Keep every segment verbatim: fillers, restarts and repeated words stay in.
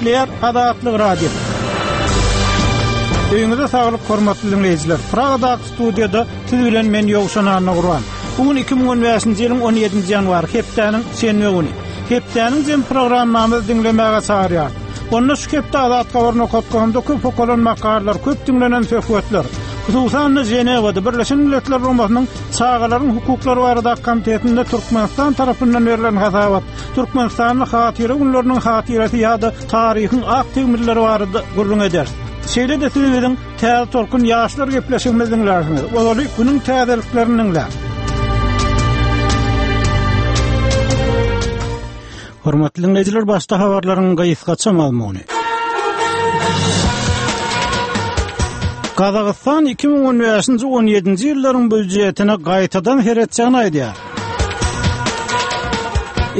Gepleýär Azatlyk Radiosy. Öýüňize saglyk hormatly diňleýjiler. Pragadaky studiýada siz bilen men Ýowşan Annagurban. Bu gün iki müň on bäşinji ýylyň on ýedinji ýanwary, hepdäniň şenbe güni. Hepdäniň jem programmamyzy diňlemäge çagyrýar. Onda şu hepde Azat Habar nokat komda köp okalan makalalar, köp diňlenen söhbetler, hususan-da Ženewada Birleşen Milletler Guramasynyň Çagalaryň hukuklary baradaky komitetinde Türkmenistan tarapyndan berlen hasabat, Türkmenistanda hatyra günleriniň hatyrasy ýa-da taryhyň ak tegmilleri barada gürrüň ederis. Şeýle-de siz biziň Täze Tolkun ýaşlar gepleşigimizi diňlärsiňiz. Ozaly günüň täzeliklerini diňläň. Hormatly dinleýjiler, başda habarlaryň gysgaça mazmuny. Gazagystan iki müň on bäşinji on ýedinji ýyllaryň býujetine gaýtadan seretjegini aýdýar.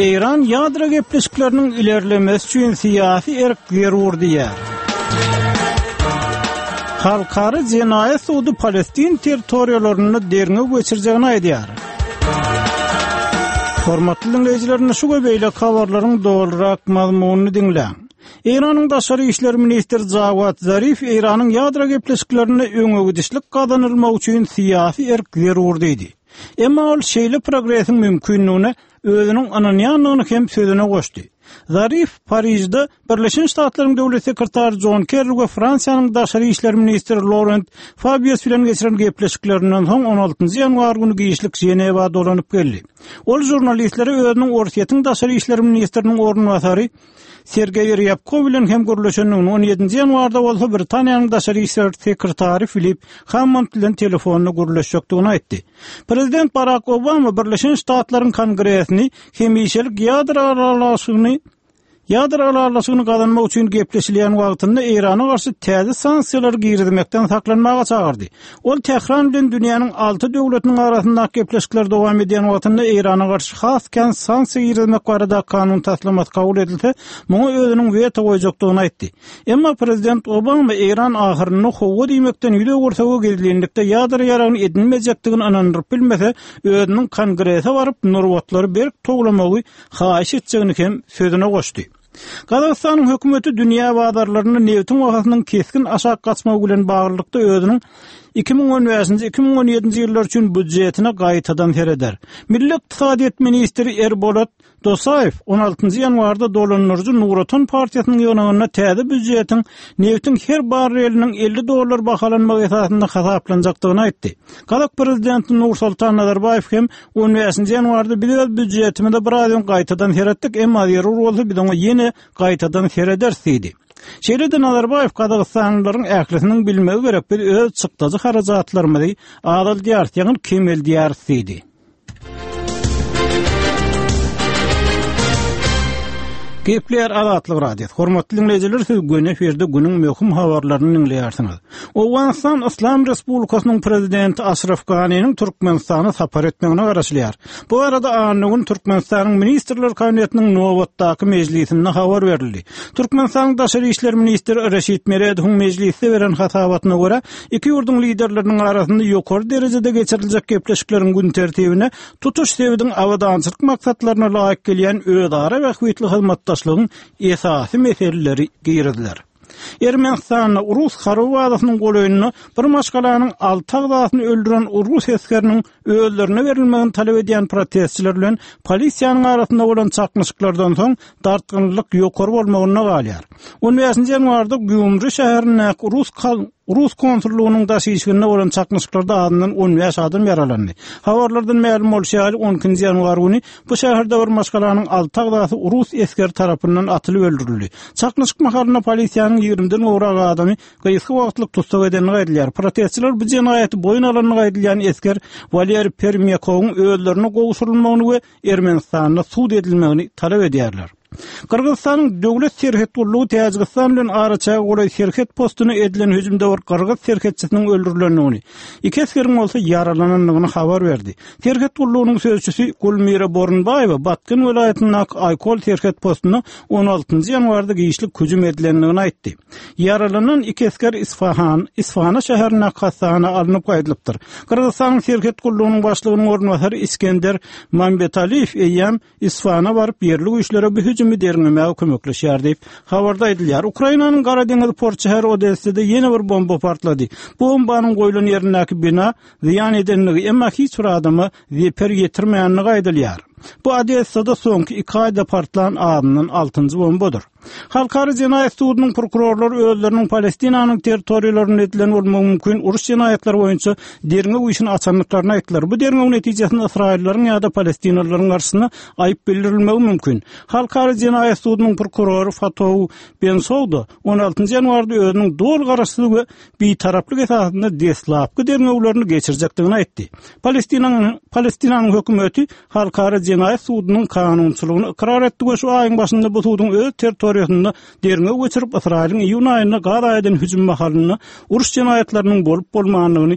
Eýran ýadro gepleşikleriniň ilerlemesi üçin syýasy erk zerur diýýär. Halkara jenaýat sudy Palestin territoriýalarynda derňew geçirjegini aýdýar. Hormatly dinleýjiler, şu we beýleki habarlaryň dolurak mazmunyny diňläň. Eýranyň daşary işler ministri Jawad Zarif Eýranyň ýadro gepleşiklerinde öňe gidişlik gazanylmagy üçin syýasy erk zerur diýdi. Emma ol şeýle progresiň mümkinligine özüniň ynanýandygyny hem sözüne goşdy. Zarif Parijde Birleşen Ştatlaryň döwlet sekretary John Kerry we Fransiýanyň daşary işler ministri Laurent Fabius bilen geçiren gepleşiklerinden soň on altynjy ýanwar güni giçlik Ženewa dolanyp geldi. Ol žurnalistlere özüniň Orsýetiň daşary işler ministriniň orunbasary Sergeý Ryabkov bilen hem gürleşendigini, on ýedinji ýanwarda bolsa Britaniýanyň daşary işler sekretary Filip Hammond bilen telefonda gürleşjekdigini aýtdy. Prezident Barack Obama Birleşen Ştatlaryň Kongresini hemişelik ýadro ylalaşygyny ýadro ylalaşygyny gazanmak üçin gepleşilýän wagtynda Eýrana garşy täze sanksiýalary girizmekden saklanmaga çagyrdy. Ol Tähran bilen dünýäniň alty döwletiniň arasyndaky gepleşikler dowam edýän wagtynda Eýrana garşy has kän sanksiýa girizmek barada kanun taslamasy kabul edilse, muňa özüniň weto goýjakdygyny aýtdy. Emma prezident Obama Eýran ahyrynda howa diýmekden ýüz öwürse we gizlinlikde ýadro ýaragyny edinmejekdigini ynandyryp bilmese, özüniň kongrese baryp nurbatlary berk towlamagy haýyş etjegini hem sözüne goşdy. Gazagystanyň hökümeti dünýä bazarlarynda nebitiň bahasynyň kesgin aşak gaçmagy bilen baglylykda özüniň iki müň on bäşinji iki müň on ýedinji ýyllar üçin býujetine gaýtadan sereder. Milli ykdysadyýet ministri Erbolat Dosaýew on altynjy ýanwarda dolandyryjy Nur Otan partiýasynyň ýygnagynda täze býujetiň nebitiň her barreliniň elli dollar bahalanmagy esasynda hasaplanjakdygyny aýtdy. Gazak prezidenti Nursultan Nazarbaýew hem on bäşinji ýanwarda biz öz býujetimize bir az öň gaýtadan seretdik, emma zerur bolsa biz oňa ýene gaýtadan serederis diýdi. Şeýle-de Nazarbaýew Gazagystanlylaryň ählisiniň bilmegi gerek, biz öz çykdajy harajatlarymyzy azaldýarys, ýagny kemeldýäris diýdi. Gepleýär Azatlyk Radiosy. Hormatly dinleýjiler, siz göni efirde günüň möhüm habarlaryny dinleýärsiňiz. Owganystan Yslam Respublikasynyň prezidenti Aşraf Ganiniň Türkmenistana sapar etmegine garaşylýar. Bu arada anna gün Türkmenistanyň Ministrler Kabinetiniň nobatdaky mejlisinde habar berildi. Türkmenistanyň Daşary işler ministri Reşit Meredowyň mejlisde beren hasabatyna görä, iki ýurduň liderleriniň arasynda ýokary derejede geçiriljek gepleşikleriň gün tertibine tutuş sebitiň abadançylyk maksatlaryna laýyk gelýän özara bähbitli hyzmatdaşlygyň esasy meseleleri giriziler. Ermenistanda Rus harby bazasynyň golaýynda bir maşgalanyň alty agzasyny öldüren Rus esgeriniň özlerine berilmegini talap edýän protestçiler bilen polisiýanyň arasynda bolan çaknyşyklardan soň dartgynlyk ýokary bolmagynda galýar. on bäşinji ýanwarda Gýumri şäherindäki Rus kal-, Rus konsullygynyň daş işiginde bolan çaknyşyklarda azyndan on bäş adam ýaralandy. Habarlardan mälim bolşy ýaly on ikinji ýanwar güni bu şäherde bir maşgalanyň alty agzasy Rus esgeri tarapyndan atylyp öldürildi. Çaknyşyk mahalynda polisiýanyň ýigrimiden gowrak adamy gysga wagtlyk tussag edenligi aýdylýar. Protestçiler bu jenaýaty boýun alandygy aýdylýan esger Waleri Permýakowyň özlerine gowşurylmagyny we Ermenistanda sud edilmegini talap edýärler. Gyrgyzystanyň döwlet serhet gullugy Täjigistan bilen araçäge golaý serhet postuna edilen hüjümde bir gyrgyz serhetçisiniň öldürilendigini, iki esgeriň bolsa ýaralanandygyny habar berdi. Serhet gullugynyň sözçüsi Gulmira Borunbaýewa Batken welaýatyndaky Aýkol serhet postuna on altynjy ýanwarda giçlik hüjüm edilendigini aýtdy. Ýaralanan iki esger Isfahan, Isfahana şäherindäki hassahana alnyp gaýdylypdyr. Gyrgyzystanyň serhet gullugynyň başlygynyň orunbasary Iskender Mambetaliýew eýýäm Isfahana baryp ýerli güýçlere bu hüjümiň hüjümi derňemäge kömekleşýär diýip, habarda aýdylýar. Ukrainanyň Gara deňiz port şäheri Odessada ýene bir bomba partlady. Bombanyň goýlan ýerindäki bina zyýan edendigi, emma hiç bir adama zeper ýetirmändigi aýdylýar. Bu Odessada soňky iki aýda partlan azyndan altynjy bombadyr. Halkara jenaýat sudunyň prokurorlary özleriniň Palestinanyň territoriýalarynda edilen bolmagy mümkin uruş jenaýatlary boýunça derňew işini açandyklaryny aýtdylar. Bu derňew netijesinde Ysraýyllaryň ýa-da palestinalylaryň garşysyna aýyp bildirilmegi mümkin. Halkara jenaýat sudunyň prokurory Fatou Bensouda on altynjy ýanwarda özüniň doly garaşsyz we bitaraplyk esasynda deslapky derňewlerini geçirjekdigini aýtdy. Palestinanyň Palestinanyň hökümeti Halkara jenaýat sudunyň kanunçylygyny ykrar etdi we şu aýyň başynda bu suduň öz territoriýasynda derňew geçirip, Ysraýylyň iýun aýynda Gaza eden hüjüm mahalynda uruş jenaýatlarynyň bolup-bolmandygyny